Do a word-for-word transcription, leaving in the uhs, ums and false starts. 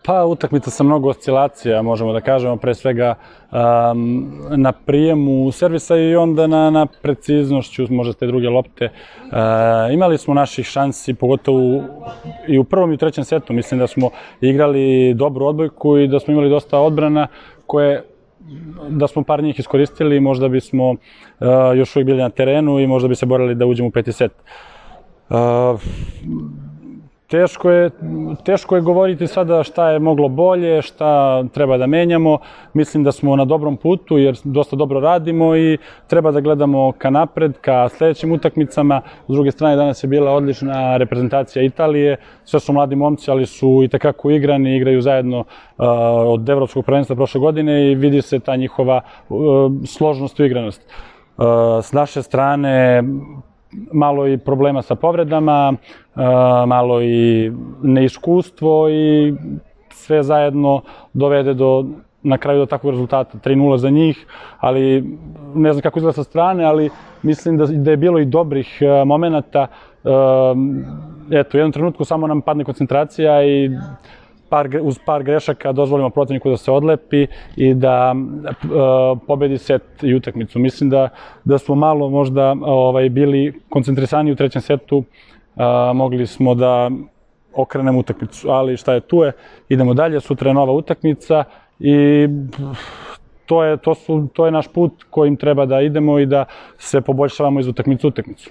Pa utakmica sa mnogo oscilacija, možemo da kažemo, pre svega um, na prijemu servisa i onda na, na preciznošću možda te druge lopte. Uh, imali smo naših šansi, pogotovo i u prvom i u trećem setu. Mislim da smo igrali dobru odbojku i da smo imali dosta odbrana koje da smo par njih iskoristili, možda bismo uh, još uvijek bili na terenu i možda bi se borili da uđemo u peti set. Uh, Teško je, teško je govoriti sada šta je moglo bolje, šta treba da menjamo. Mislim da smo na dobrom putu jer dosta dobro radimo i treba da gledamo ka napred, ka sledećim utakmicama. S druge strane, danas je bila odlična reprezentacija Italije. Sve su mladi momci, ali su i takako igrani, igraju zajedno uh, od evropskog prvenstva prošle godine i vidi se ta njihova uh, složnost i igranost. Uh, s naše strane, malo i problema sa povredama, malo i neiskustvo i sve zajedno dovede do, na kraju do takvog rezultata. tri nula za njih, ali ne znam kako izgleda sa strane, ali mislim da, da je bilo i dobrih momenata. Eto, u jednom trenutku samo nam padne koncentracija i Par, uz par grešaka dozvolimo protivniku da se odlepi i da uh, pobedi set i utakmicu. Mislim da, da smo malo možda ovaj, bili koncentrisani u trećem setu, uh, mogli smo da okrenemo utakmicu, ali šta je tu je, idemo dalje, sutra je nova utakmica i to je, to su, to je naš put kojim treba da idemo i da se poboljšavamo iz utakmice u utakmicu.